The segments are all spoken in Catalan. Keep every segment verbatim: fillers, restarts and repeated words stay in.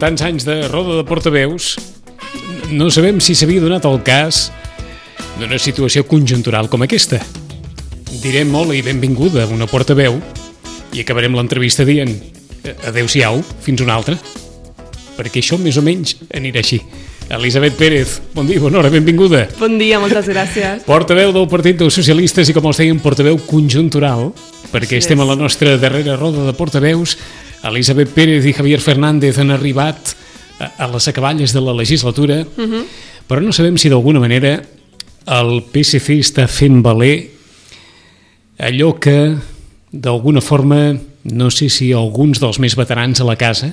tants anys de roda de portaveus, no sabem si s'havia donat el cas d'una situació conjuntural com aquesta. Direm molt i benvinguda a una portaveu i acabarem l'entrevista dient adeu-siau, fins una altra, perquè això més o menys anirà així. Elisabet Pérez, bon dia, bona hora, benvinguda. Bon dia, moltes gràcies. Portaveu del Partit dels Socialistes i, com els deien, portaveu conjuntural, perquè estem a la nostra darrera roda de portaveus. Elisabet Pérez i Javier Fernández han arribat a les acaballes de la legislatura, uh-huh. però no sabem si d'alguna manera el P S C està fent valer allò que d'alguna forma, no sé si alguns dels més veterans a la casa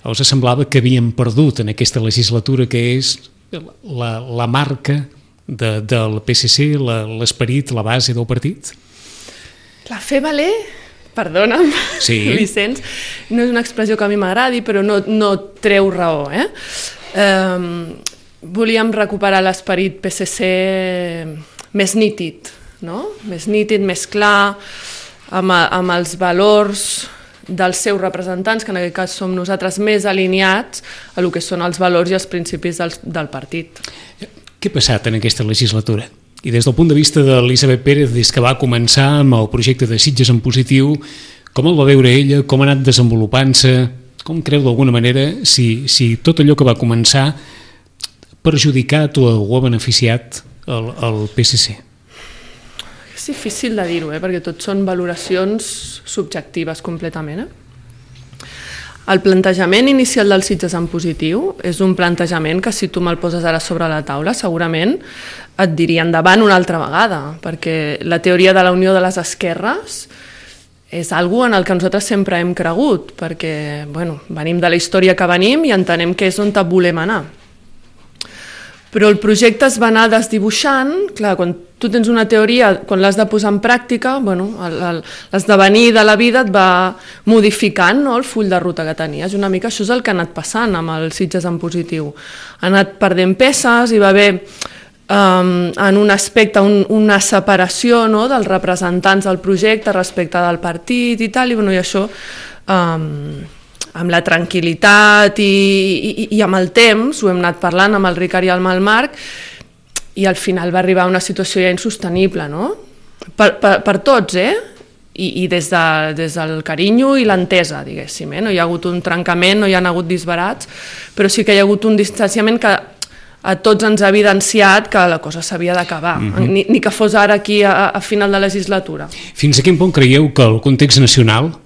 us semblava que havien perdut en aquesta legislatura, que és la, la marca de, del P S C, la, l'esperit, la base del partit? La fer valer, perdona'm, sí. Vicenç, no és una expressió que a mi m'agradi, però no, no treu raó. Eh? Um, volíem recuperar l'esperit P S C més nítid, no? Més nítid, més clar, amb, amb els valors dels seus representants, que en aquest cas som nosaltres, més alineats a el que són els valors i els principis del, del partit. Què ha passat en aquesta legislatura? I des del punt de vista d'Elisabet Pérez, des que va començar amb el projecte de Sitges en positiu, com el va veure ella, com ha anat desenvolupant-se, com creu d'alguna manera si, si tot allò que va començar ha perjudicat o ha beneficiat el, el P S C? És difícil de dir-ho, eh? Perquè tot són valoracions subjectives completament. Eh? El plantejament inicial del Sitges en positiu és un plantejament que, si tu me'l poses ara sobre la taula, segurament et diria endavant una altra vegada, perquè la teoria de la unió de les esquerres és algo en el que nosaltres sempre hem cregut, perquè bueno, venim de la història que venim i entenem que és on volem anar. Però el projecte es va anar desdibuixant, clar, quan tu tens una teoria, quan l'has de posar en pràctica, bueno, l'esdevenir de la vida et va modificant, no?, el full de ruta que tenies. Una mica això és el que ha anat passant amb el Sitges en positiu. Ha anat perdent peces, hi va haver um, en un aspecte un, una separació, no?, dels representants del projecte respecte del partit i tal, i, bueno, i això Um, amb la tranquil·litat i, i, i amb el temps, ho hem anat parlant amb el Ricard i amb el Marc, i al final va arribar a una situació ja insostenible, no? Per, per, per tots, eh? I, i des, de, des del carinyo i l'entesa, diguéssim, eh? No hi ha hagut un trencament, no hi ha hagut disbarats, però sí que hi ha hagut un distanciament que a tots ens ha evidenciat que la cosa s'havia d'acabar, mm-hmm. ni, ni que fos ara aquí a, a final de legislatura. Fins a quin punt creieu que el context nacional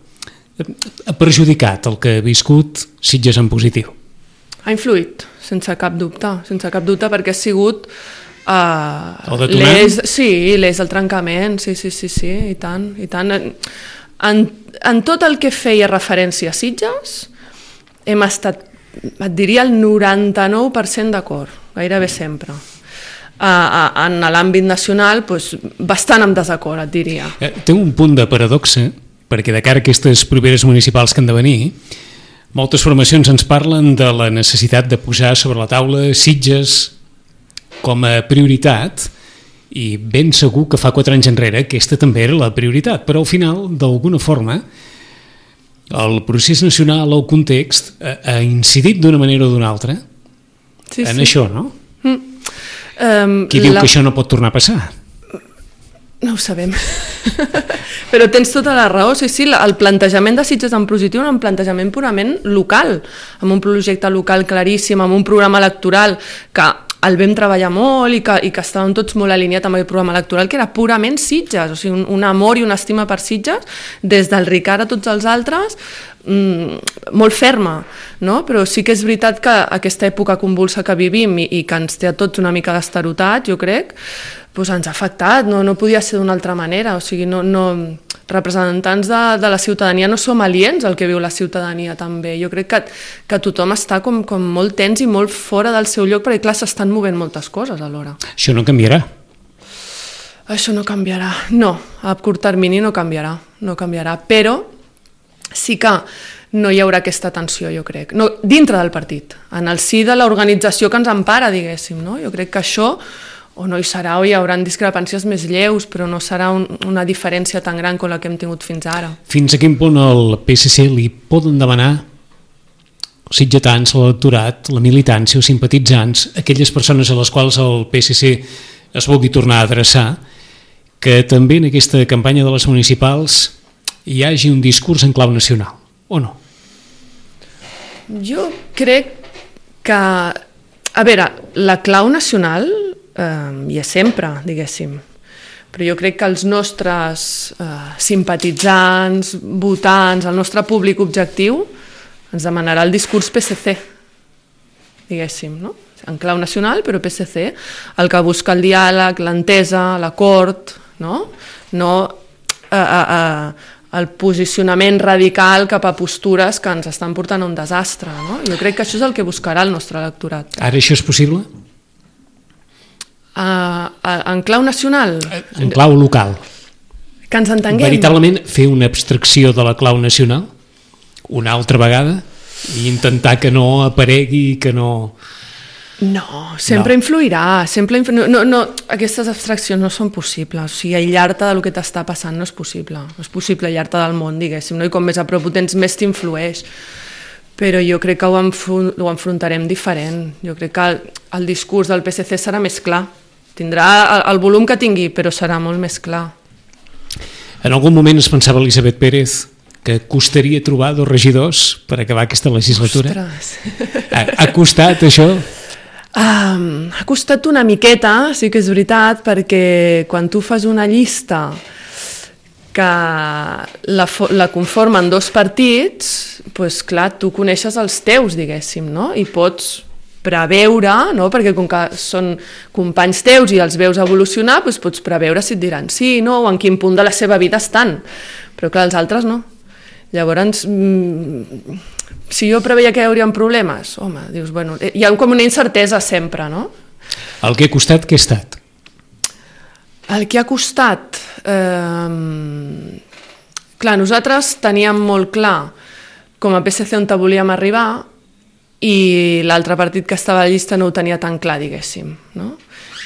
ha perjudicat el que ha viscut Sitges en positiu? Ha influït, sense cap dubte, sense cap dubte, perquè ha sigut uh, el detonant? l'eix, sí, l'eix del trencament, sí, sí, sí, sí, i tant, i tant. En, en tot el que feia referència a Sitges, hem estat, et diria, el noranta-nou per cent d'acord, gairebé sempre. Uh, uh, en l'àmbit nacional, doncs, bastant en desacord, et diria. Eh, té un punt de paradoxa, perquè de cara a aquestes properes municipals que han de venir, moltes formacions ens parlen de la necessitat de posar sobre la taula Sitges com a prioritat, i ben segur que fa quatre anys enrere aquesta també era la prioritat, però al final, d'alguna forma, el procés nacional, el context, ha incidit d'una manera o d'una altra sí, en sí. això, no? Mm. Um, Qui diu la... que això no pot tornar a passar? No ho sabem, però tens tota la raó, sí, sí, el plantejament de Sitges en positiu és un plantejament purament local, amb un projecte local claríssim, amb un programa electoral que el vam treballar molt i que, i que estàvem tots molt alineats amb el programa electoral, que era purament Sitges, o sigui, un, un amor i una estima per Sitges, des del Ricard a tots els altres, mmm, molt ferma, no? Però sí que és veritat que aquesta època convulsa que vivim i, i que ens té a tots una mica d'estarotat, jo crec, doncs ens ha afectat, no, no podia ser d'una altra manera, o sigui, no, no, representants de, de la ciutadania no som aliens al que viu la ciutadania també, jo crec que, que tothom està com, com molt tens i molt fora del seu lloc, perquè clar, s'estan movent moltes coses alhora. Això no canviarà? Això no canviarà, no, a curt termini no canviarà, no canviarà, però sí que no hi haurà aquesta tensió, jo crec, no, dintre del partit, en el si de l'organització que ens empara, diguéssim, no? Jo crec que això o no hi serà o hi haurà discrepàncies més lleus, però no serà un, una diferència tan gran com la que hem tingut fins ara. Fins a quin punt el P S C li poden demanar sitgetans, l'electorat, la militància, els simpatitzants, aquelles persones a les quals el P S C es vulgui tornar a adreçar, que també en aquesta campanya de les municipals hi hagi un discurs en clau nacional, o no? Jo crec que, a veure, la clau nacional eh, hi és sempre, diguéssim, però jo crec que els nostres eh, simpatitzants, votants, el nostre públic objectiu ens demanarà el discurs P S C, diguéssim, no? En clau nacional, però P S C, el que busca el diàleg, l'entesa, l'acord, no? No eh, eh, eh, el posicionament radical cap a postures que ens estan portant a un desastre, no? Jo crec que això és el que buscarà el nostre electorat. Ara això és possible? Uh, en clau nacional? En clau local. Que ens entenguem. Veritablement fer una abstracció de la clau nacional una altra vegada i intentar que no aparegui, que no... No, sempre no. influirà, sempre influ... no, no, no, aquestes abstraccions no són possibles, o sigui, aïllar-te del que t'està passant no és possible, no és possible aïllar-te del món, diguéssim, no? I com més a prop ho tens, més t'influeix, però jo crec que ho, enfron... ho enfrontarem diferent, jo crec que el, el discurs del P S C serà més clar, tindrà el, el volum que tingui, però serà molt més clar. En algun moment es pensava Elisabet Pérez que costaria trobar dos regidors per acabar aquesta legislatura? Ostres! Ha, ha costat això? Um, ha costat una miqueta, sí que és veritat, perquè quan tu fas una llista que la, la conformen dos partits, doncs clar, tu coneixes els teus, diguéssim, no? I pots preveure, no? Perquè com que són companys teus i els veus evolucionar, doncs pots preveure si et diran sí, no, o en quin punt de la seva vida estan. Però clar, els altres no. Llavors, mmm, si jo preveia que hi haurien problemes, home, dius, bueno, hi ha com una incertesa sempre, no? El que ha costat, què ha estat? El que ha costat... Eh, clar, nosaltres teníem molt clar com a P S C on volíem arribar i l'altre partit que estava a la llista no ho tenia tan clar, diguéssim, no?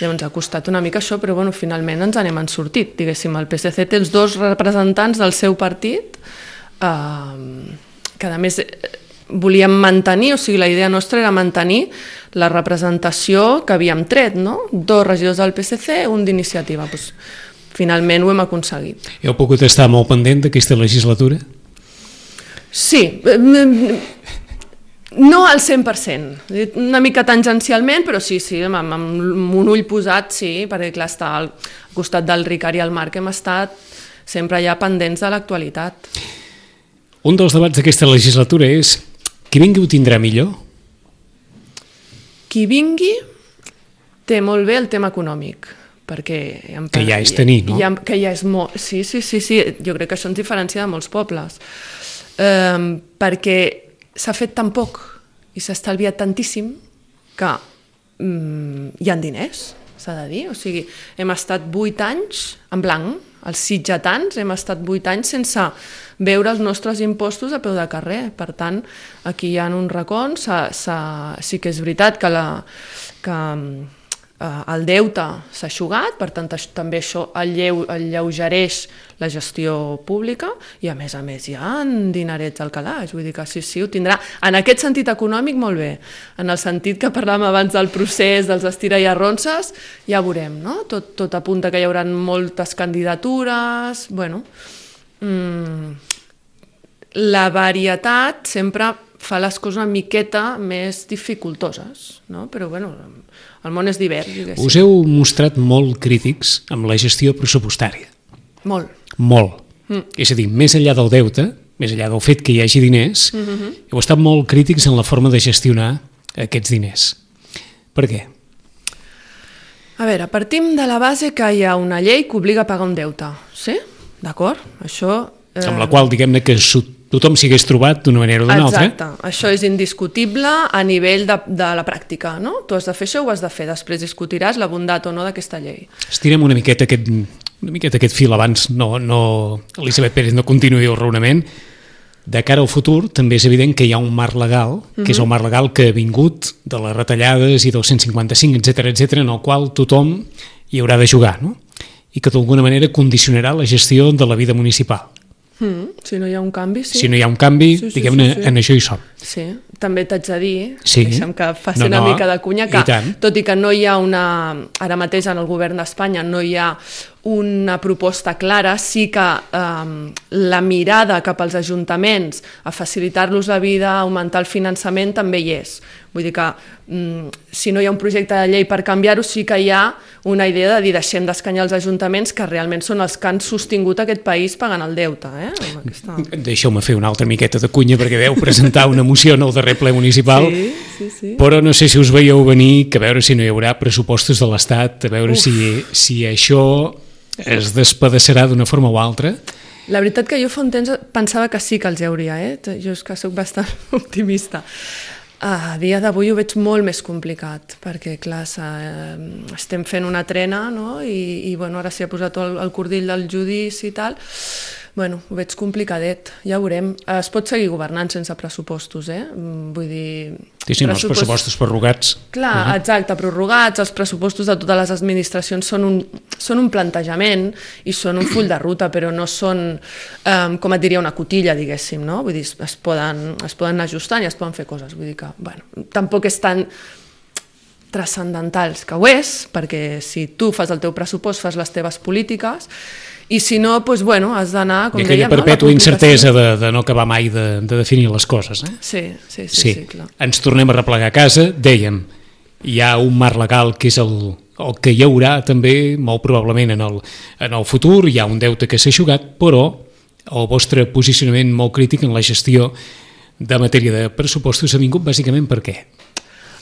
Llavors ha costat una mica això, però bueno, finalment ens n'hem sortit, diguéssim, el P S C té els dos representants del seu partit, eh, que a més volíem mantenir, o sigui, la idea nostra era mantenir la representació que havíem tret, no? Dos regidors del P S C, un d'iniciativa. Pues, finalment ho hem aconseguit. Heu pogut estar molt pendent d'aquesta legislatura? Sí, no al cent per cent, una mica tangencialment, però sí, sí, amb, amb un ull posat, sí, perquè clar, està al costat del Ricard i el Marc hem estat sempre ja pendents de l'actualitat. Un dels debats d'aquesta legislatura és qui vingui ho tindrà millor? Qui vingui té molt bé el tema econòmic, perquè... Que ja és tenir, no? Ja, que ja és molt... Sí, sí, sí, sí, jo crec que això ens diferencia de molts pobles, um, perquè s'ha fet tan poc i s'ha estalviat tantíssim que um, hi ha diners, s'ha de dir, o sigui, hem estat vuit anys en blanc, els sitgetans hem estat vuit anys sense veure els nostres impostos a peu de carrer. Per tant, aquí hi ha un racons, s'ha, s'ha, sí que és veritat que, la, que eh, el deute s'ha eixugat, per tant també això alleu, alleugereix la gestió pública i a més a més hi ha dinerets al calaix, vull dir que sí, sí, ho tindrà. En aquest sentit econòmic molt bé, en el sentit que parlàvem abans del procés, dels estira i arronses, ja veurem, no? Tot, tot apunta que hi haurà moltes candidatures, bueno... Mm, la varietat sempre fa les coses una miqueta més dificultoses, no? Però bueno, el món és divers, diguéssim. Us heu mostrat molt crítics amb la gestió pressupostària. Molt. Molt. Mm. És a dir, més enllà del deute, més enllà del fet que hi hagi diners, mm-hmm. heu estat molt crítics en la forma de gestionar aquests diners. Per què? A veure, partim de la base que hi ha una llei que obliga a pagar un deute, sí? D'acord? Això... Eh... Amb la qual, diguem-ne, que tothom s'hi hagués trobat d'una manera o d'una altra. Exacte, això és indiscutible a nivell de, de la pràctica, no? Tu has de fer això o ho has de fer, després discutiràs la bondat o no d'aquesta llei. Estirem una miqueta aquest, una miqueta aquest fil abans, no, no, Elisabet Pérez no continuï el raonament. De cara al futur també és evident que hi ha un marc legal, que mm-hmm. és el marc legal que ha vingut de les retallades i del cent cinquanta-cinc, etcètera, etcètera, en el qual tothom hi haurà de jugar, no? I que d'alguna manera condicionarà la gestió de la vida municipal. Mm, si no hi ha un canvi, sí. Si no hi ha un canvi, sí, sí, diguem-ne, sí, sí. En això hi som. Sí, també t'haig de dir, sí. deixa'm que faci no, una no. mica de cunya, que I tot i que no hi ha una, ara mateix en el govern d'Espanya no hi ha una proposta clara, sí que eh, la mirada cap als ajuntaments a facilitar-los la vida, a augmentar el finançament, també hi és. Vull dir que mm, si no hi ha un projecte de llei per canviar-ho, sí que hi ha una idea de dir deixem d'escanyar els ajuntaments que realment són els que han sostingut aquest país pagant el deute. Eh? Aquesta... Deixeu-me fer una altra miqueta de cunya perquè veu presentar una moció en el darrer ple municipal, sí, sí, sí. Però no sé si us veieu venir que a veure si no hi haurà pressupostos de l'Estat, a veure si, si això es despedaçarà d'una forma o altra. La veritat que jo fa un temps pensava que sí que els hi hauria, eh? Jo és que soc bastant optimista. A dia d'avui ho veig molt més complicat, perquè clar, estem fent una trena, no? I, i bueno, ara s'hi ha posat el, el cordill del judici i tal. Bueno, ho veig complicadet, ja ho veurem. Es pot seguir governant sense pressupostos, eh? Vull dir... Sí, sí, pressupost... els pressupostos prorrogats. Clar, uh -huh. exacte, prorrogats, els pressupostos de totes les administracions són un, són un plantejament i són un full de ruta, però no són, um, com et diria, una cotilla, diguéssim, no? Vull dir, es poden, es poden anar ajustant i es poden fer coses. Vull dir que, bueno, tampoc és tan transcendentals, que ho és, perquè si tu fas el teu pressupost, fas les teves polítiques, i si no, doncs, bueno, has d'anar, com dèiem... I aquella dèiem, perpètua no? incertesa de, de no acabar mai de, de definir les coses. Eh? Sí, sí, sí, sí. sí, clar. Ens tornem a replegar a casa, dèiem, hi ha un marc legal que és el, el que hi haurà també, molt probablement en el, en el futur, hi ha un deute que s'ha eixugat, però el vostre posicionament molt crític en la gestió de matèria de pressupostos ha vingut bàsicament per què?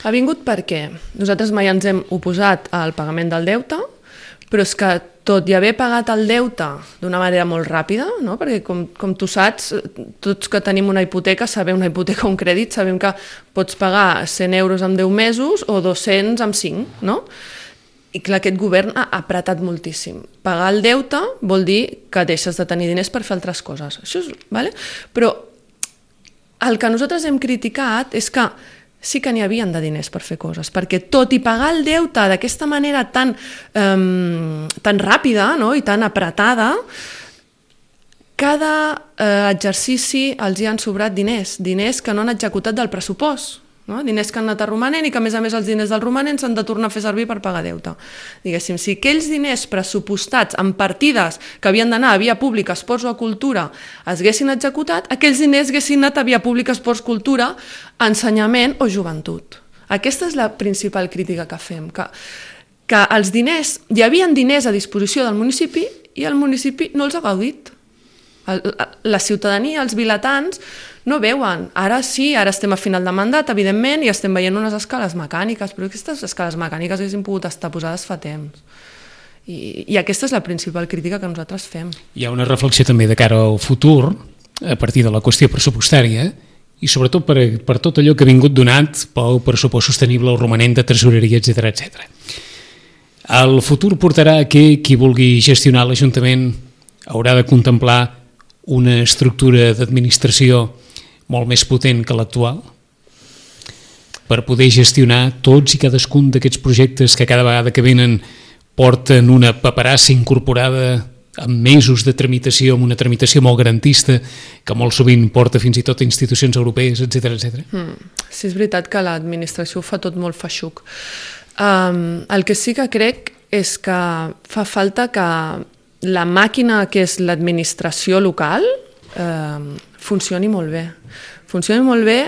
Ha vingut perquè nosaltres mai ens hem oposat al pagament del deute, però és que tot i haver pagat el deute d'una manera molt ràpida, no? Perquè com, com tu saps, tots que tenim una hipoteca, sabem una hipoteca o un crèdit, sabem que pots pagar cent euros en deu mesos o dos-cents en cinc, no? I clar, aquest govern ha apretat moltíssim. Pagar el deute vol dir que deixes de tenir diners per fer altres coses. Això és, vale? Però el que nosaltres hem criticat és que sí que n'hi havien de diners per fer coses, perquè tot i pagar el deute d'aquesta manera tan, um, tan ràpida, no? I tan apretada, cada uh, exercici els hi han sobrat diners, diners que no han executat del pressupost, no? Diners que han anat a romanent i que a més a més els diners del romanent s'han de tornar a fer servir per pagar deute. Diguéssim, si aquells diners pressupostats en partides que havien d'anar a via pública, esports o a cultura es haguessin executat, aquells diners haguessin anat a via pública, esports, cultura, ensenyament o joventut. Aquesta és la principal crítica que fem, que, que els diners, hi havia diners a disposició del municipi i el municipi no els ha gaudit. El, la ciutadania, els vilatans, no veuen. Ara sí, ara estem a final de mandat, evidentment, i estem veient unes escales mecàniques, però aquestes escales mecàniques haguessin pogut estar posades fa temps. I, i aquesta és la principal crítica que nosaltres fem. Hi ha una reflexió també de cara al futur, a partir de la qüestió pressupostària, i sobretot per, per tot allò que ha vingut donat pel pressupost sostenible, el romanent de tresoreria, etcètera, etcètera. El futur portarà que qui vulgui gestionar l'Ajuntament haurà de contemplar una estructura d'administració molt més potent que l'actual per poder gestionar tots i cadascun d'aquests projectes que cada vegada que venen porten una paperassa incorporada amb mesos de tramitació, amb una tramitació molt garantista que molt sovint porta fins i tot a institucions europees, etcètera, etcètera. Mm, sí, és veritat que l'administració ho fa tot molt feixuc. Um, el que sí que crec és que fa falta que la màquina que és l'administració local eh, funcioni molt bé. Funcioni molt bé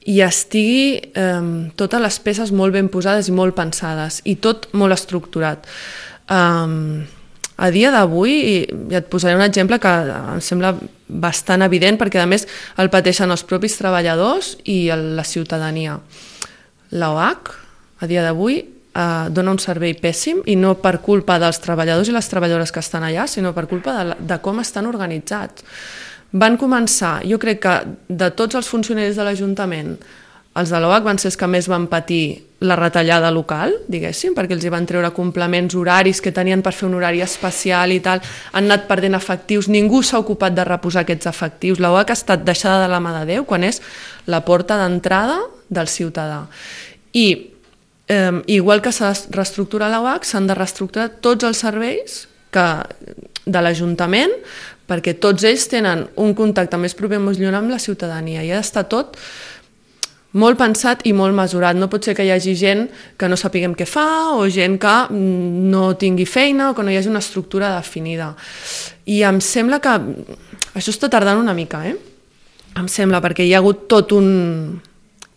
i estigui eh, totes les peces molt ben posades i molt pensades i tot molt estructurat. Eh, a dia d'avui, i et posaré un exemple que em sembla bastant evident perquè a més el pateixen els propis treballadors i la ciutadania. L'O H, a dia d'avui, eh, dona un servei pèssim i no per culpa dels treballadors i les treballadores que estan allà, sinó per culpa de, de com estan organitzats. Van començar, jo crec que de tots els funcionaris de l'Ajuntament, els de l'O H van ser els que més van patir la retallada local, diguéssim, perquè els hi van treure complements horaris que tenien per fer un horari especial i tal, han anat perdent efectius, ningú s'ha ocupat de reposar aquests efectius, l'O H ha estat deixada de la mà de Déu quan és la porta d'entrada del ciutadà. I eh, igual que s'ha de reestructurar l'O H, s'han de reestructurar tots els serveis que, de l'Ajuntament, perquè tots ells tenen un contacte més proper, més lluny amb la ciutadania i ha d'estar tot molt pensat i molt mesurat. No pot ser que hi hagi gent que no sapiguem què fa o gent que no tingui feina o que no hi hagi una estructura definida. I em sembla que això està tardant una mica, eh? Em sembla, perquè hi ha hagut tot un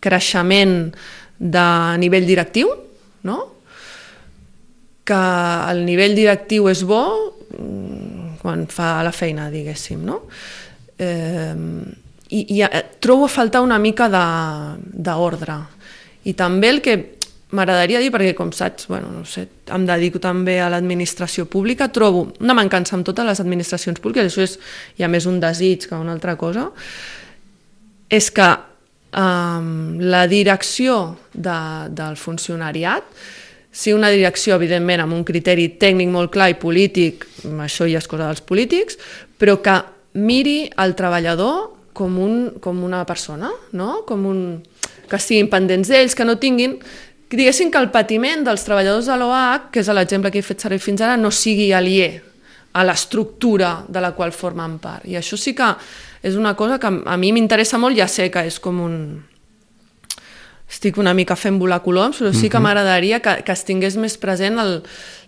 creixement de nivell directiu, no? Que el nivell directiu és bo quan fa la feina, diguéssim, no? Eh, I, i trobo a faltar una mica d'ordre. I també el que m'agradaria dir, perquè com saps, bueno, no sé, em dedico també a l'administració pública, trobo una mancança amb totes les administracions públiques, això és ja més un desig que una altra cosa, és que um, la direcció de, del funcionariat, si una direcció, evidentment, amb un criteri tècnic molt clar i polític, això ja és cosa dels polítics, però que miri el treballador com, un, com una persona, no? Com un, que estiguin pendents d'ells, que no tinguin, que diguessin que el patiment dels treballadors de l'O H, que és l'exemple que he fet servir fins ara, no sigui aliè a l'estructura de la qual formen part. I això sí que és una cosa que a mi m'interessa molt, ja sé que és com un... estic una mica fent volar coloms, però sí que m'agradaria que, que es tingués més present el,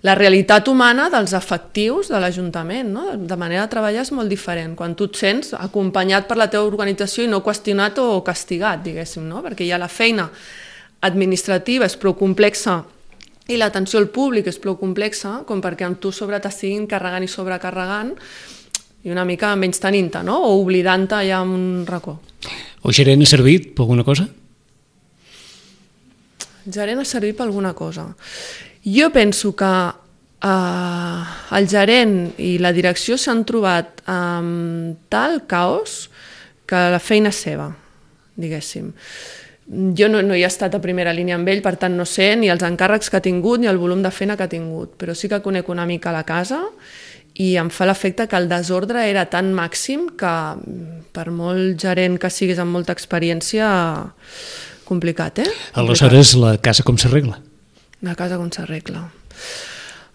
la realitat humana dels efectius de l'Ajuntament, no? De manera de treballar és molt diferent, quan tu et sents acompanyat per la teva organització i no qüestionat o castigat, diguéssim, no? Perquè ja la feina administrativa és prou complexa i l'atenció al públic és prou complexa com perquè amb tu sobre t'estiguin carregant i sobrecarregant i una mica menys tenint-te, no? O oblidant-te ja en un racó. El gerent ha servit per alguna cosa? El gerent ha servit per alguna cosa. Jo penso que eh, el gerent i la direcció s'han trobat amb tal caos que la feina és seva, diguéssim. Jo no, no hi he estat a primera línia amb ell, per tant no sé ni els encàrrecs que ha tingut ni el volum de feina que ha tingut, però sí que conec una mica la casa i em fa l'efecte que el desordre era tan màxim que per molt gerent que siguis amb molta experiència... complicat, eh? Complicat. Aleshores, la casa com s'arregla? La casa com s'arregla?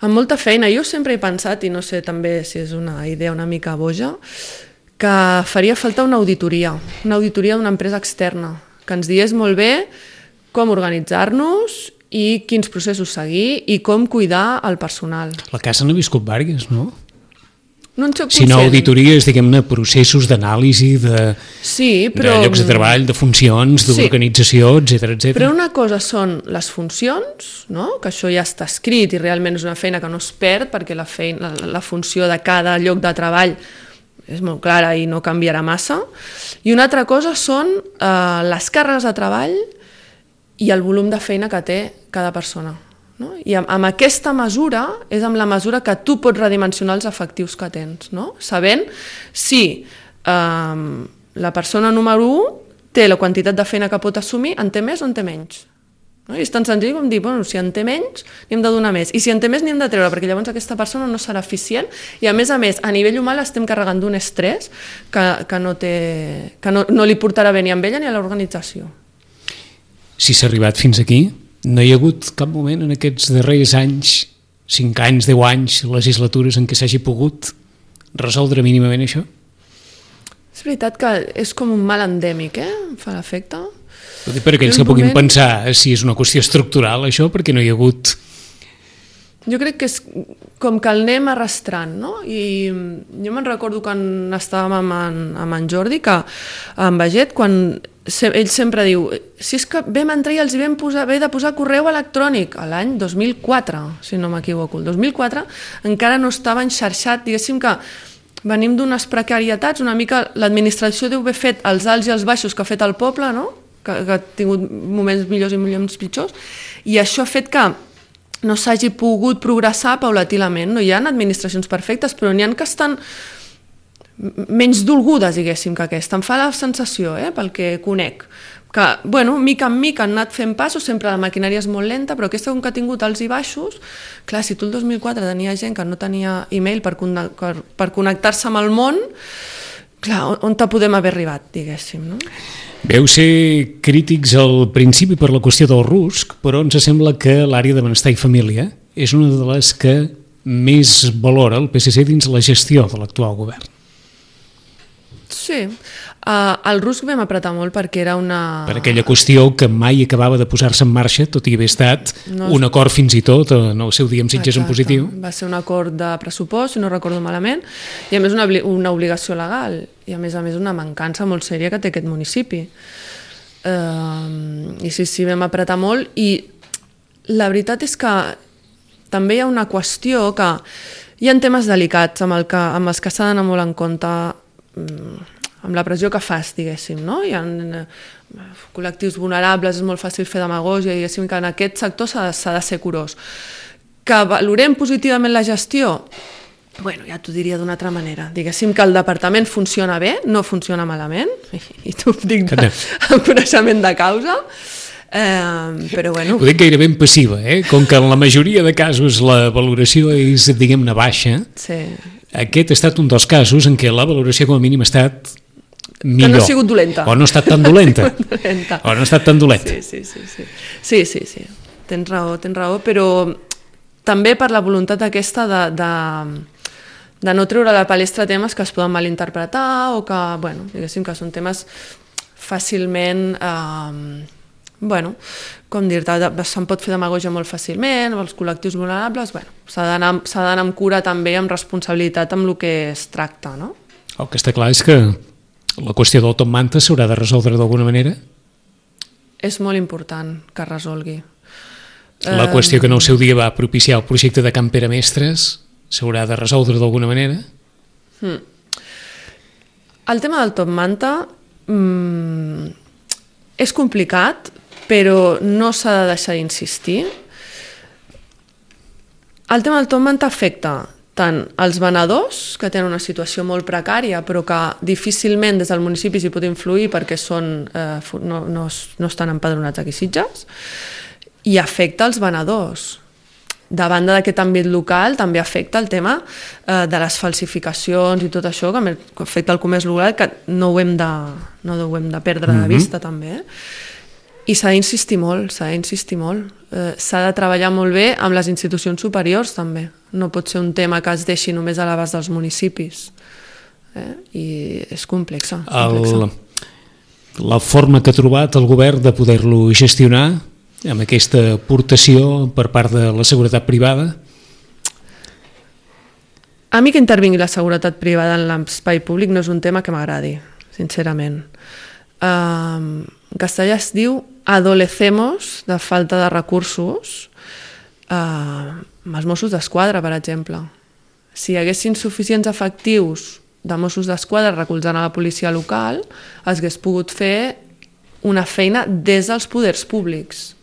Amb molta feina. Jo sempre he pensat, i no sé també si és una idea una mica boja, que faria falta una auditoria, una auditoria d'una empresa externa, que ens digués molt bé com organitzar-nos i quins processos seguir i com cuidar el personal. La casa n'ha viscut vàries, no? No en soc si no auditories, diguem-ne, processos d'anàlisi, de, sí, però... de llocs de treball, de funcions, d'organització, sí. etcètera, etcètera. Però una cosa són les funcions, no? Que això ja està escrit i realment és una feina que no es perd perquè la, feina, la, la funció de cada lloc de treball és molt clara i no canviarà massa. I una altra cosa són eh, les càrregues de treball i el volum de feina que té cada persona. No? I amb, amb aquesta mesura és amb la mesura que tu pots redimensionar els efectius que tens, no? Sabent si eh, la persona número u té la quantitat de feina que pot assumir, en té més o en té menys. No? I és tan senzill com dir, bueno, si en té menys, n'hi hem de donar més. I si en té més, n'hi hem de treure, perquè llavors aquesta persona no serà eficient i a més a més, a nivell humà l'estem carregant d'un estrès que, que, no, té, que no, no li portarà bé ni a ella ni a l'organització. Si s'ha arribat fins aquí, no hi ha hagut cap moment en aquests darrers anys, cinc anys, deu anys, legislatures en què s'hagi pogut resoldre mínimament això? És veritat que és com un mal endèmic, eh? Em fa l'efecte. Per aquells que puguin moment... pensar si és una qüestió estructural això, perquè no hi ha hagut... Jo crec que és com que el anem arrastrant, no? I jo me'n recordo quan estàvem amb en, amb en Jordi, que en Baget, quan ell sempre diu, si és que vam entrar i els hi vam posar, vam de posar correu electrònic, a l'any dos mil quatre, si no m'equivoco, el dos mil quatre encara no estava enxarxat, diguéssim que venim d'unes precarietats, una mica l'administració deu haver fet els alts i els baixos que ha fet el poble, no? Que, que ha tingut moments millors i moments pitjors, i això ha fet que no s'hagi pogut progressar paulatinament. No hi ha administracions perfectes, però n'hi ha que estan menys dolgudes, diguéssim, que aquesta. Em fa la sensació, eh, pel que conec, que, bueno, mica en mica han anat fent passos, sempre la maquinària és molt lenta, però aquesta com que ha tingut alts i baixos, clar, si tu el dos mil quatre tenia gent que no tenia e-mail per, per, per connectar-se amb el món, clar, on te podem haver arribat, diguéssim, no? Veu ser crítics al principi per la qüestió del rusc, però ens sembla que l'àrea de benestar i família és una de les que més valora el P S C dins la gestió de l'actual govern. Sí. Uh, el rusc vam apretar molt perquè era una... Per aquella qüestió que mai acabava de posar-se en marxa, tot i haver estat no, un acord fins i tot en el seu dia amb Sitges en positiu. Va ser un acord de pressupost, si no recordo malament, i a més una, una obligació legal, i a més a més una mancança molt sèria que té aquest municipi. Uh, I sí, sí, vam apretar molt, i la veritat és que també hi ha una qüestió que hi ha temes delicats amb, el que, amb els que s'ha d'anar molt en compte, amb la pressió que fas, diguéssim, no? Hi ha col·lectius vulnerables, és molt fàcil fer demagògia, i diguéssim que en aquest sector s'ha de ser curós. Que valorem positivament la gestió? Bueno, ja t'ho diria d'una altra manera. Diguéssim que el departament funciona bé, no funciona malament, i t'ho dic de, amb coneixement de causa, eh, però bueno... Ho dic gairebé passiva, eh? Com que en la majoria de casos la valoració és, diguem-ne, baixa, sí. Aquest ha estat un dels casos en què la valoració com a mínim ha estat millor. Que no ha sigut dolenta. O no ha estat tan dolenta. dolenta. O no ha estat tan dolenta. Sí, sí, sí. Sí, sí, sí, sí. Tens raó, tens raó, però també per la voluntat aquesta de, de, de no treure a la palestra temes que es poden malinterpretar o que, bueno, diguéssim que són temes fàcilment... Eh, bueno, com dir-te, se'n pot fer demagògia molt fàcilment, els col·lectius vulnerables, bueno, s'ha d'anar amb cura també, amb responsabilitat amb el que es tracta, no? El que està clar és que la qüestió del Top Manta s'haurà de resoldre d'alguna manera? És molt important que es resolgui. La qüestió que en el seu dia va propiciar el projecte de Can Pere Mestres s'haurà de resoldre d'alguna manera? Hmm. El tema del Top Manta mmm, és complicat, però no s'ha de deixar d'insistir. El tema del Top Manta afecta tant els venedors, que tenen una situació molt precària, però que difícilment des del municipi s'hi pot influir perquè són, eh, no, no, no estan empadronats aquí a Sitges, i afecta els venedors. De banda d'aquest àmbit local també afecta el tema eh, de les falsificacions i tot això, que afecta el comerç local, que no ho hem de, no ho hem de perdre de vista mm-hmm. també. Eh? I s'ha d'insistir molt, s'ha d'insistir molt. Eh, s'ha de treballar molt bé amb les institucions superiors també. No pot ser un tema que es deixi només a l'abast dels municipis. Eh? I és complexa. complexa. El, la forma que ha trobat el govern de poder-lo gestionar amb aquesta aportació per part de la seguretat privada? A mi que intervingui la seguretat privada en l'espai públic no és un tema que m'agradi, sincerament. Uh, en castellà es diu adolecemos de falta de recursos uh, amb els Mossos d'Esquadra, per exemple. Si hi haguessin suficients efectius de Mossos d'Esquadra recolzant a la policia local, es hagués pogut fer una feina des dels poders públics.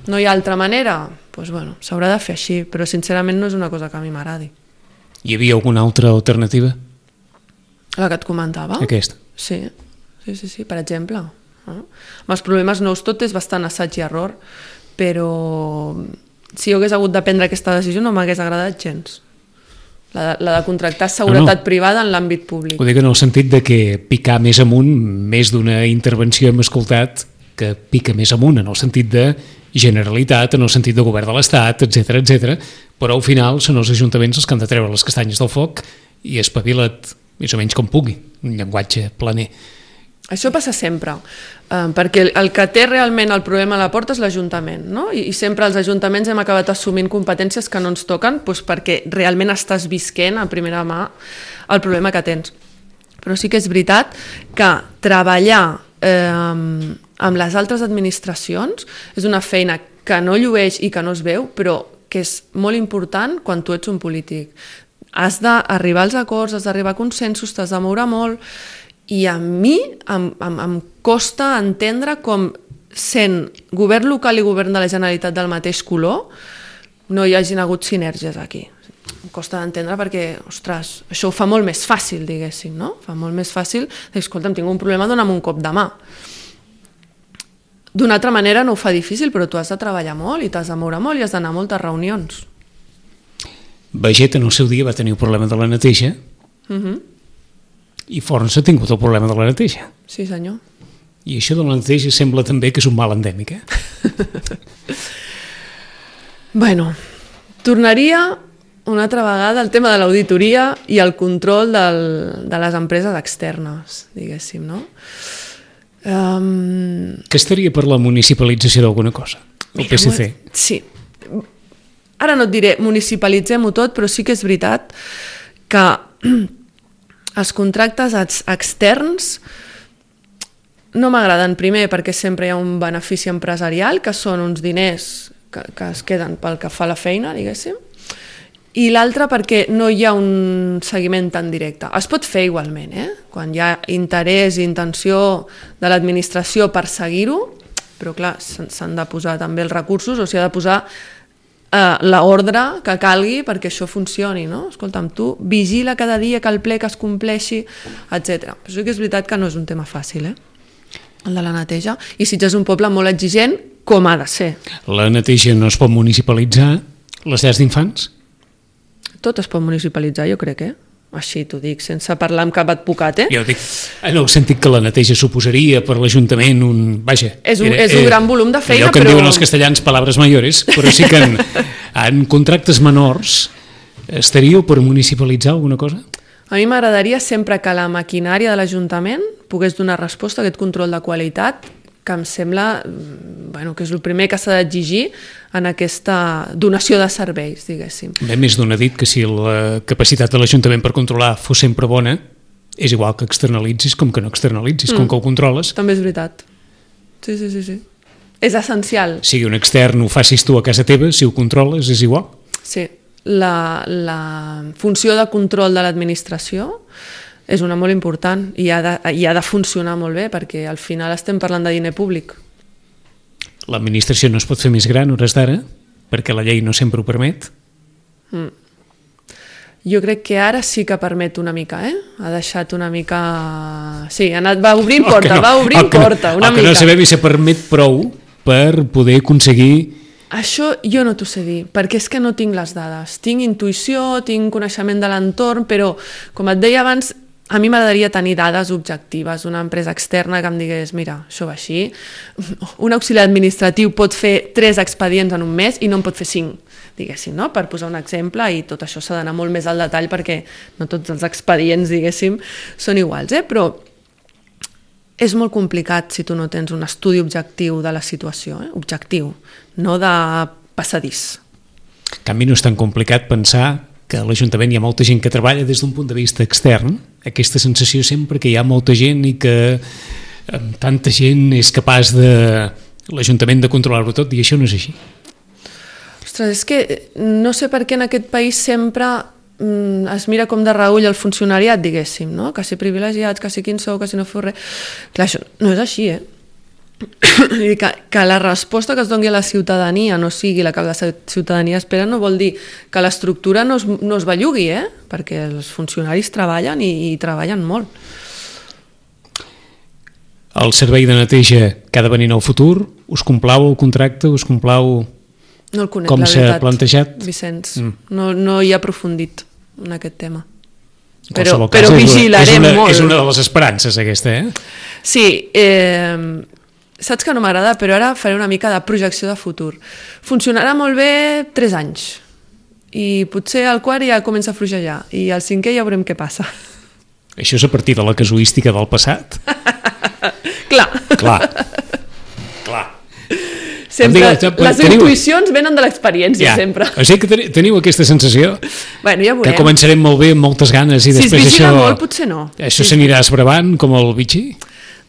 No hi ha altra manera? Doncs bueno, s'haurà de fer així, però sincerament no és una cosa que a mi m'agradi. Hi havia alguna altra alternativa? La que et comentava? Aquesta? Sí, sí, sí, sí per exemple. No? Amb els problemes nous tot és bastant assaig i error, però si jo hagués hagut de prendre aquesta decisió no m'hagués agradat gens. La de, la de contractar seguretat no, no. privada en l'àmbit públic. Ho dic en el sentit de que picar més amunt, més d'una intervenció hem escoltat que pica més amunt, en el sentit de Generalitat, en el sentit de govern de l'Estat, etcètera, etcètera, però al final són els ajuntaments els que han de treure les castanyes del foc i espavila't més o menys com pugui, un llenguatge planer. Això passa sempre, eh, perquè el que té realment el problema a la porta és l'Ajuntament, no? I, i sempre els ajuntaments hem acabat assumint competències que no ens toquen doncs perquè realment estàs visquent a primera mà el problema que tens. Però sí que és veritat que treballar eh, amb les altres administracions és una feina que no llueix i que no es veu, però que és molt important quan tu ets un polític. Has d'arribar als acords, has d'arribar a consensos, t'has de moure molt, i a mi em, em, em costa entendre com sent govern local i govern de la Generalitat del mateix color no hi hagin hagut sinergies aquí. Em costa d'entendre perquè, ostres, això ho fa molt més fàcil, diguéssim, no? Fa molt més fàcil, escolta'm, tinc un problema, dona'm un cop de mà. D'una altra manera no ho fa difícil, però tu has de treballar molt i t'has de moure molt i has d'anar a moltes reunions. Baget en el seu dia va tenir el problema de la neteja uh-huh. i Forns ha tingut el problema de la neteja. Sí, senyor. I això de la neteja sembla també que és un mal endèmic, eh? Bueno, tornaria una altra vegada el tema de l'auditoria i el control del, de les empreses externes, diguéssim, no? Um... Què estaria per la municipalització d'alguna cosa? El P S C? Sí. Ara no et diré municipalitzem-ho tot, però sí que és veritat que els contractes externs no m'agraden, primer perquè sempre hi ha un benefici empresarial, que són uns diners que, que es queden pel que fa la feina, diguéssim, i l'altre perquè no hi ha un seguiment tan directe. Es pot fer igualment, eh? Quan hi ha interès i intenció de l'administració per seguir-ho, però clar, s'han de posar també els recursos, o s'hi ha de posar eh, l'ordre que calgui perquè això funcioni, no? Escolta'm, tu vigila cada dia que el ple que es compleixi, etcètera. Però sí que és veritat que no és un tema fàcil, eh? El de la neteja. I Sitges és un poble molt exigent, com ha de ser. La neteja no es pot municipalitzar, les llars d'infants? Tot es pot municipalitzar, jo crec, eh? Així t'ho dic, sense parlar amb cap advocat, eh? Jo dic, en el sentit que la neteja suposaria per l'Ajuntament un... Vaja... És un, era, és un eh, gran volum de feina, allò que però... en diuen els castellans palabres mayores, però sí que en, en contractes menors estaríeu per municipalitzar alguna cosa? A mi m'agradaria sempre que la maquinària de l'Ajuntament pogués donar resposta a aquest control de qualitat, que em sembla bueno, que és el primer que s'ha d'exigir en aquesta donació de serveis, diguéssim. Bé, més d'un ha dit que si la capacitat de l'Ajuntament per controlar fos sempre bona, és igual que externalitzis com que no externalitzis, mm. com que ho controles. També és veritat. Sí, sí, sí, sí. És essencial. Sigui un extern, ho facis tu a casa teva, si ho controles és igual. Sí, la, la funció de control de l'administració és una molt important i ha, de, i ha de funcionar molt bé perquè al final estem parlant de diner públic. L'administració no es pot fer més gran hores d'ara perquè la llei no sempre ho permet. Mm. Jo crec que ara sí que permet una mica, eh? Ha deixat una mica... Sí, ha anat, va obrint porta, no, va obrint porta, una el mica. El que no sabem si permet prou per poder aconseguir... Això jo no t'ho sé dir, perquè és que no tinc les dades. Tinc intuïció, tinc coneixement de l'entorn, però, com et deia abans, a mi m'agradaria tenir dades objectives, una empresa externa que em digués, mira, això va així, un auxiliar administratiu pot fer tres expedients en un mes i no en pot fer cinc, diguéssim, no? Per posar un exemple, i tot això s'ha d'anar molt més al detall perquè no tots els expedients, diguéssim, són iguals, eh? Però és molt complicat si tu no tens un estudi objectiu de la situació, eh? Objectiu, no de passadís. En canvi, no és tan complicat pensar que a l'Ajuntament hi ha molta gent que treballa des d'un punt de vista extern, aquesta sensació sempre que hi ha molta gent i que amb tanta gent és capaç de l'Ajuntament de controlar-ho tot, i això no és així. Ostres, és que no sé per què en aquest país sempre mm, es mira com de reull el funcionariat, diguéssim, no? Que si privilegiats, que si quin sou, que si no feu res... Clar, això no és així, eh? que, que la resposta que es doni a la ciutadania no sigui la que la ciutadania espera no vol dir que l'estructura no es, no es bellugui, eh? Perquè els funcionaris treballen i, i treballen molt. El servei de neteja que ha de venir en el futur, us complau el contracte, us complau no el conec, com s'ha plantejat? Vicenç, mm. no, no hi ha aprofundit en aquest tema. Però, però, però vigilarem és una, molt. És una de les esperances aquesta, eh? Sí, eh... saps que no m'agrada, però ara faré una mica de projecció de futur. Funcionarà molt bé tres anys i potser el quart ja comença a fluixejar i al cinquè ja veurem què passa. Això és a partir de la casuística del passat? Clar. Clar. Clar. Sempre, Digue, les teniu... intuïcions venen de l'experiència, ja. Sempre. O sigui que teniu aquesta sensació bueno, ja que començarem molt bé amb moltes ganes i si després es vigila això... molt, potser no. Això s'anirà esbravant com el bitxí?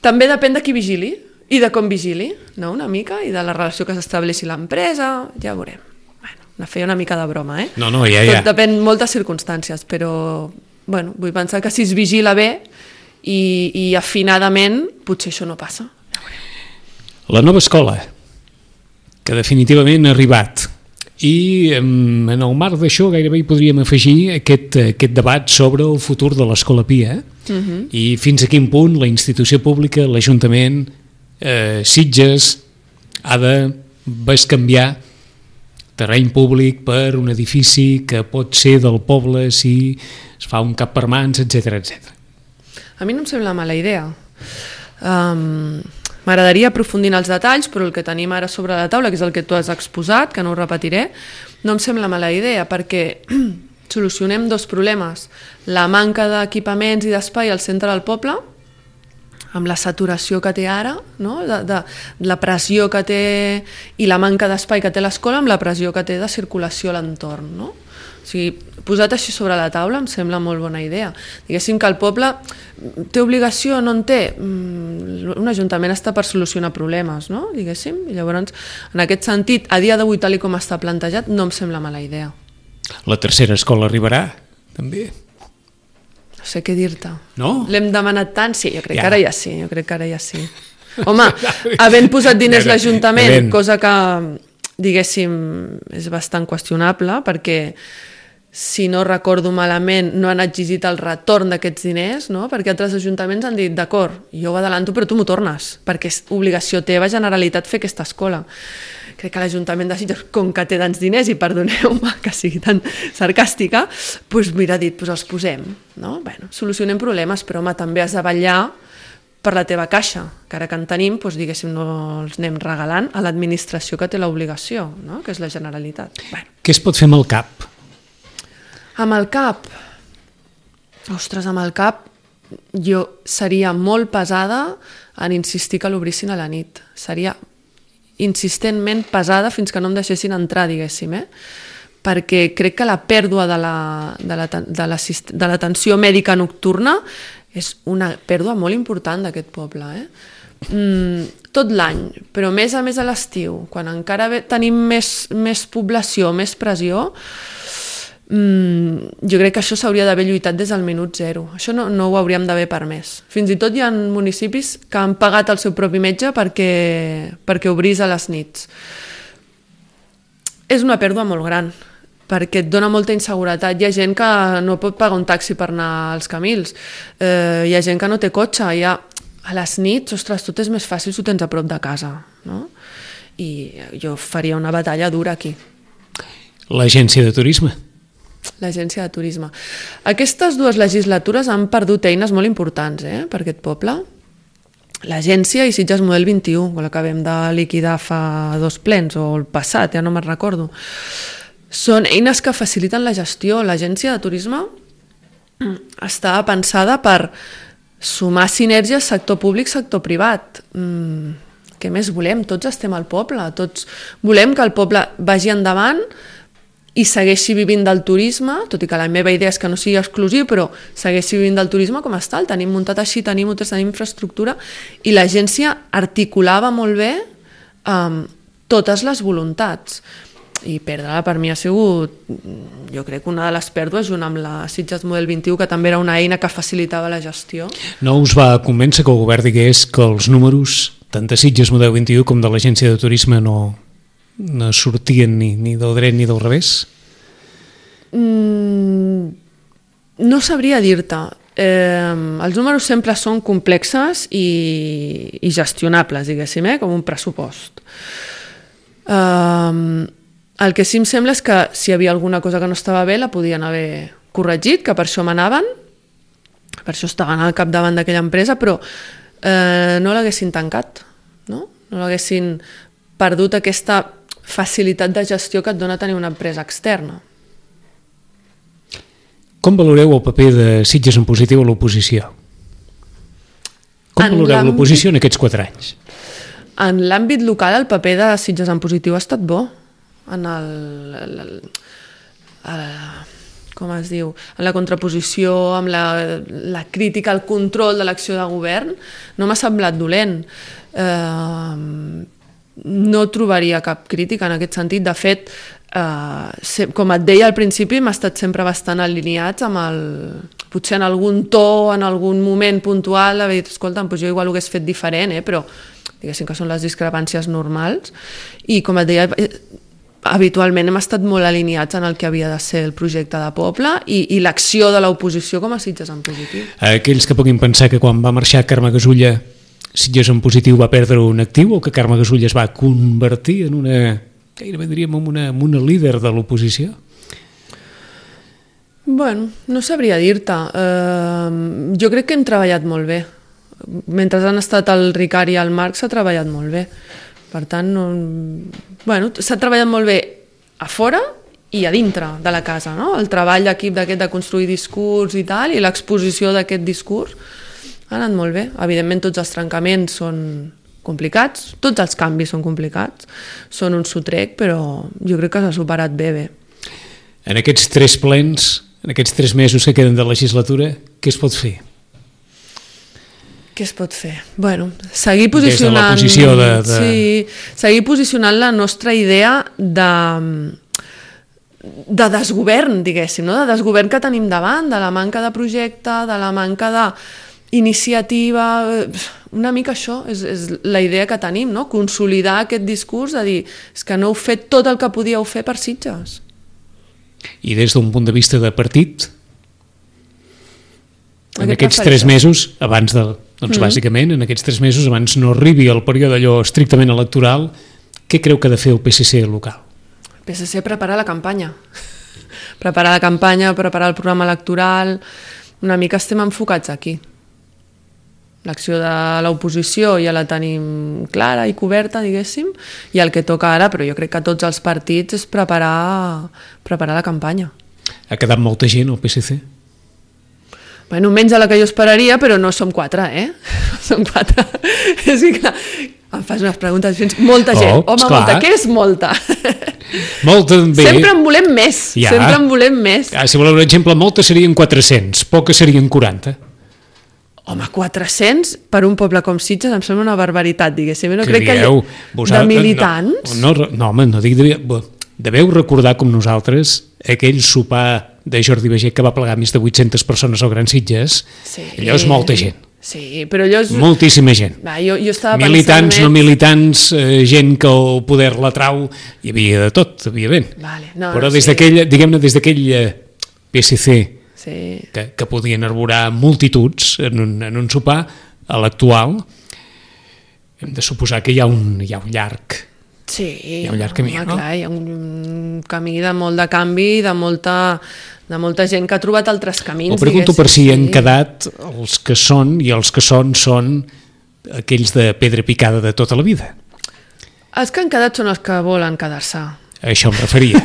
També depèn de qui vigili i de com vigili, no? Una mica, i de la relació que s'estableixi l'empresa, ja veurem. Bueno, a fer una mica de broma, eh? No, no, ja, ja. Tot depèn moltes circumstàncies, però bueno, vull pensar que si es vigila bé i, i afinadament, potser això no passa. La nova escola, que definitivament ha arribat, i en el marc d'això gairebé hi podríem afegir aquest, aquest debat sobre el futur de l'Escola Pia, eh? Uh-huh. I fins a quin punt la institució pública, l'Ajuntament, eh, Sitges, ha de bescanviar terreny públic per un edifici que pot ser del poble si es fa un cap per mans, etcètera, etcètera. A mi no em sembla mala idea. Um, M'agradaria aprofundir en els detalls, però el que tenim ara sobre la taula, que és el que tu has exposat, que no ho repetiré, no em sembla mala idea, perquè solucionem dos problemes. La manca d'equipaments i d'espai al centre del poble, amb la saturació que té ara, no? de, de, de la pressió que té i la manca d'espai que té l'escola, amb la pressió que té de circulació a l'entorn. No? O sigui, posat així sobre la taula em sembla molt bona idea. Diguéssim que el poble té obligació, no en té. Un ajuntament està per solucionar problemes, no? Diguéssim. I llavors, en aquest sentit, a dia d'avui, tal com està plantejat, no em sembla mala idea. La tercera escola arribarà, també? No sé què dir-te. No? L'hem demanat tant? Sí, jo crec ja. que ara ja sí, jo crec que ara ja sí. Home, havent posat diners l'Ajuntament, cosa que, diguéssim, és bastant qüestionable, perquè si no recordo malament, no han exigit el retorn d'aquests diners, no? Perquè altres ajuntaments han dit, d'acord, jo ho adelanto, però tu m'ho tornes, perquè és obligació teva, Generalitat, fer aquesta escola. Crec que l'Ajuntament de Sitges, com que té tants diners, i perdoneu-me que sigui tan sarcàstica, doncs mira, ha dit, doncs els posem. No? Bueno, solucionem problemes, però home, també has de vetllar per la teva caixa, que ara que en tenim, doncs, diguéssim, no els anem regalant a l'administració que té l'obligació, no? Que és la Generalitat. Bueno. Què es pot fer amb el CAP? Amb el CAP? Ostres, amb el CAP jo seria molt pesada en insistir que l'obrissin a la nit. Seria insistentment pesada fins que no em deixessin entrar, diguéssim, eh? Perquè crec que la pèrdua de l'atenció la, de la, mèdica nocturna és una pèrdua molt important d'aquest poble. Eh? Mm, tot l'any, però més a més a l'estiu, quan encara tenim més, més població, més pressió, mm, jo crec que això s'hauria d'haver lluitat des del minut zero. Això no, no ho hauríem d'haver permès. Fins i tot hi ha municipis que han pagat el seu propi metge perquè, perquè obrís a les nits. És una pèrdua molt gran, perquè et dona molta inseguretat. Hi ha gent que no pot pagar un taxi per anar als Camils, eh, hi ha gent que no té cotxe, hi ha... a les nits, ostres, tot és més fàcil si ho tens a prop de casa, no? I jo faria una batalla dura aquí. L'agència de turisme. L'agència de turisme. Aquestes dues legislatures han perdut eines molt importants, eh, per aquest poble. L'agència i Sitges Model vint-i-u, que l'acabem de liquidar fa dos plens, o el passat, ja no me'n recordo. Són eines que faciliten la gestió. L'agència de turisme està pensada per sumar sinergies sector públic, sector privat. Mm, què més volem? Tots estem al poble, tots volem que el poble vagi endavant i segueixi vivint del turisme, tot i que la meva idea és que no sigui exclusiu, però segueixi vivint del turisme com està, el tenim muntat així, tenim hotels, tenim infraestructura, i l'agència articulava molt bé um, totes les voluntats. I perdre-la per mi ha sigut, jo crec, una de les pèrdues, junt amb la Sitges Model vint-i-u, que també era una eina que facilitava la gestió. No us va convèncer que el govern digués que els números, tant de Sitges Model vint-i-u com de l'agència de turisme, no, no sortien ni, ni del dret ni del revés? Mm, no sabria dir-te. Eh, els números sempre són complexes i, i gestionables, diguéssim, eh, com un pressupost. Eh, el que sí em sembla és que si hi havia alguna cosa que no estava bé la podien haver corregit, que per això manaven, per això estaven al capdavant d'aquella empresa, però eh, no l'haguessin tancat, no? No l'haguessin perdut aquesta facilitat de gestió que et dona tenir una empresa externa. Com valoreu el paper de Sitges en positiu a l'oposició? Com en valoreu l'oposició en aquests quatre anys? En l'àmbit local el paper de Sitges en positiu ha estat bo. En el, el, el, el com es diu, en la contraposició, amb la, la crítica, el control de l'acció de govern, no m'ha semblat dolent. Eh, no trobaria cap crítica en aquest sentit. De fet, eh, com et deia al principi, hem estat sempre bastant alineats amb el... Potser en algun to, en algun moment puntual, haver dit, escolta, doncs jo igual ho hagués fet diferent, eh, però diguéssim que són les discrepàncies normals. I com et deia, habitualment hem estat molt alineats en el que havia de ser el projecte de poble i, i l'acció de l'oposició com a Sitges en positiu. Aquells que puguin pensar que quan va marxar Carme Gasulla Sitges en positiu va perdre un actiu, o que Carme Gasulla es va convertir en una, gairebé diríem, en una, en una líder de l'oposició? Bueno, no sabria dir-te. Uh, jo crec que hem treballat molt bé. Mentre han estat el Ricard i el Marc s'ha treballat molt bé. Per tant, no... bueno, s'ha treballat molt bé a fora i a dintre de la casa, no? El treball d'equip d'aquest de construir discurs i tal, i l'exposició d'aquest discurs ha anat molt bé. Evidentment tots els trencaments són complicats, tots els canvis són complicats, són un sotrec, però jo crec que s'ha superat bé bé. En aquests tres plens, en aquests tres mesos que queden de legislatura, què es pot fer? Què es pot fer? Bueno, seguir posicionant... Des de la posició de... de... Sí, seguir posicionant la nostra idea de, de desgovern, diguéssim, no? De desgovern que tenim davant, de la manca de projecte, de la manca d'iniciativa... Una mica això és, és la idea que tenim, no? Consolidar aquest discurs de dir és que no heu fet tot el que podíeu fer per Sitges. I des d'un punt de vista de partit, en Aquest aquests tres mesos, abans de... Doncs mm-hmm. bàsicament, en aquests tres mesos, abans no arribi el període allò estrictament electoral, què creu que ha de fer el P S C local? El P S C preparar la campanya. Preparar la campanya, preparar el programa electoral... Una mica estem enfocats aquí. L'acció de l'oposició ja la tenim clara i coberta, diguéssim, i el que toca ara, però jo crec que tots els partits, és preparar, preparar la campanya. Ha quedat molta gent al P S C? Bueno, menys a la que jo esperaria, però no som quatre, eh? Som quatre. És que, clar, em fas unes preguntes fins... Molta gent. Oh, Home, esclar. molta. Què és molta? Molta també. Sempre en volem més. Ja. Sempre en volem més. Ah, si voleu un exemple, molta serien quatre-cents, poca serien quaranta. Home, quatre-cents per un poble com Sitges em sembla una barbaritat, diguéssim. No Que crec dieu, que vosaltres, de militants... No, no, no, home, no dic... De, deveu recordar com nosaltres aquell sopar de Jordi Baiget que va plegar més de vuit-centes persones al Gran Sitges. Sí. Allò és molta gent. Sí, però allò és... Moltíssima gent. Va, jo, jo estava militants, pensant no militants, eh, gent que el poder la trau, hi havia de tot, evidentment. Vale, no, però no, des sí. d'aquell, diguem-ne, des d'aquell eh, P S C Sí. que, que podien arborar multituds en un, en un sopar, a l'actual hem de suposar que hi ha un, hi ha un llarg Sí, hi ha un llarg camí, home, no? Clar, hi ha un camí de molt de canvi, de molta, de molta gent que ha trobat altres camins. Ho pregunto per si sí. han quedat els que són, i els que són són aquells de pedra picada de tota la vida. Els que han quedat són els que volen quedar-se. A això em referia.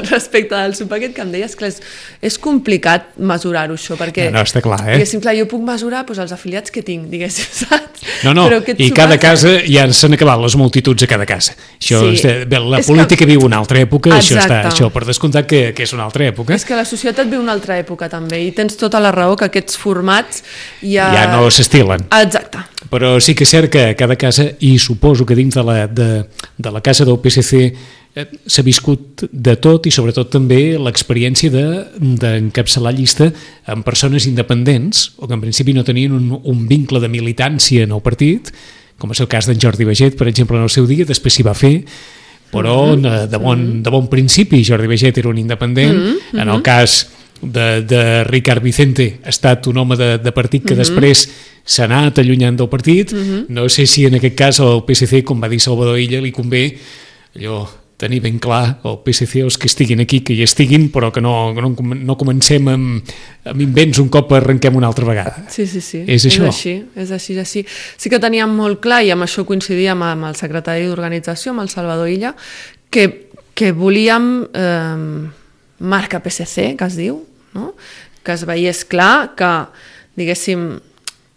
Respecte al sopar aquest que em deies, clar, és, és complicat mesurar-ho això, perquè No, no, està clar, eh? diguéssim, clar, jo puc mesurar doncs, els afiliats que tinc, diguéssim, saps? No, no, Però aquest i sopar, cada casa ja s'han acabat les multituds a cada casa. Això, Sí. és, bé, la És política que- viu una altra època, això, està, Exacte. això per descomptat que, que és una altra època. És que la societat viu una altra època també, i tens tota la raó que aquests formats ja... Ja no s'estilen. Exacte. Però sí que és cert que a cada casa, i suposo que dins de la, de, de la casa del P S C eh, s'ha viscut de tot, i sobretot també l'experiència d'encapçalar de, llista amb persones independents o que en principi no tenien un, un vincle de militància en el partit, com és el cas d'en Jordi Baiget, per exemple, en el seu dia, després s'hi va fer, però mm-hmm. de, bon, de bon principi Jordi Baiget era un independent. Mm-hmm. En el cas de, de Ricard Vicente ha estat un home de, de partit que mm-hmm. després s'ha anat allunyant del partit. Mm-hmm. No sé si en aquest cas al P S C, com va dir Salvador Illa, li convé allò tenir ben clar el P S C, els que estiguin aquí, que hi estiguin, però que no, no, no comencem amb, amb invents un cop arrenquem una altra vegada. Sí, sí, sí. És això. És així, és així, és així. Sí que teníem molt clar, i amb això coincidíem amb el secretari d'organització, amb el Salvador Illa, que, que volíem eh, marca P S C, que es diu, no? Que es veiés clar que, diguéssim,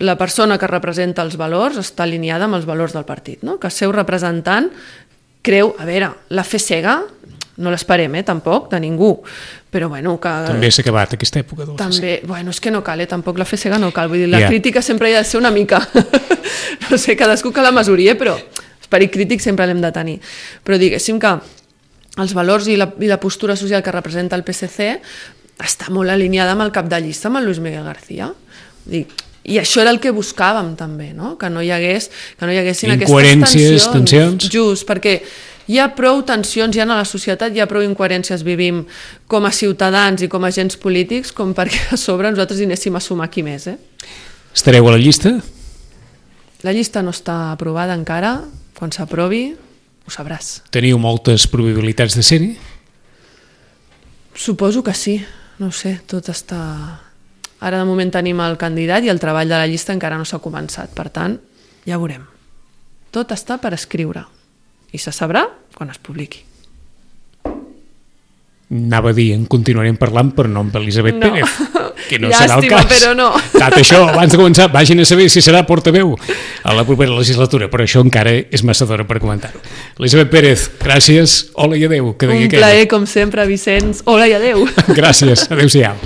la persona que representa els valors està alineada amb els valors del partit, no? Que el seu representant creu, a veure, la fe cega no l'esperem, eh, tampoc, de ningú, però bueno, que... També s'ha acabat aquesta època del També, bueno, és que no cal, eh, tampoc la fe cega no cal, vull dir, la yeah. crítica sempre hi ha de ser una mica, no sé, cadascú que la mesuri, eh, però esperit crític sempre l'hem de tenir, però diguéssim que els valors i la, i la postura social que representa el P S C està molt alineada amb el cap de llista, amb el Luis Miguel García, dic, i això era el que buscàvem també, no? Que no hi hagués, que no hi haguessin incoherències, aquestes tensions, tensions. Just, perquè hi ha prou tensions, ja a la societat hi ha prou incoherències, vivim com a ciutadans i com a agents polítics, com perquè a sobre nosaltres hi anéssim a sumar qui més, eh? Estareu a la llista? La llista no està aprovada encara, quan s'aprovi ho sabràs. Teniu moltes probabilitats de ser-hi? Suposo que sí, no ho sé, tot està... Ara de moment tenim el candidat i el treball de la llista encara no s'ha començat, per tant, ja veurem. Tot està per escriure i se sabrà quan es publiqui. anava a dir, en continuarem parlant, però no amb Elisabet No. Pérez, que no Llàstima, serà el cas. però no. Tot això, abans de començar, vagin a saber si serà portaveu a la propera legislatura, però això encara és massa d'hora per comentar-ho. Elisabet Pérez, gràcies, hola i adeu. Que Un deia plaer, com sempre, Vicenç. Hola i adeu. Gràcies, adeu-siau.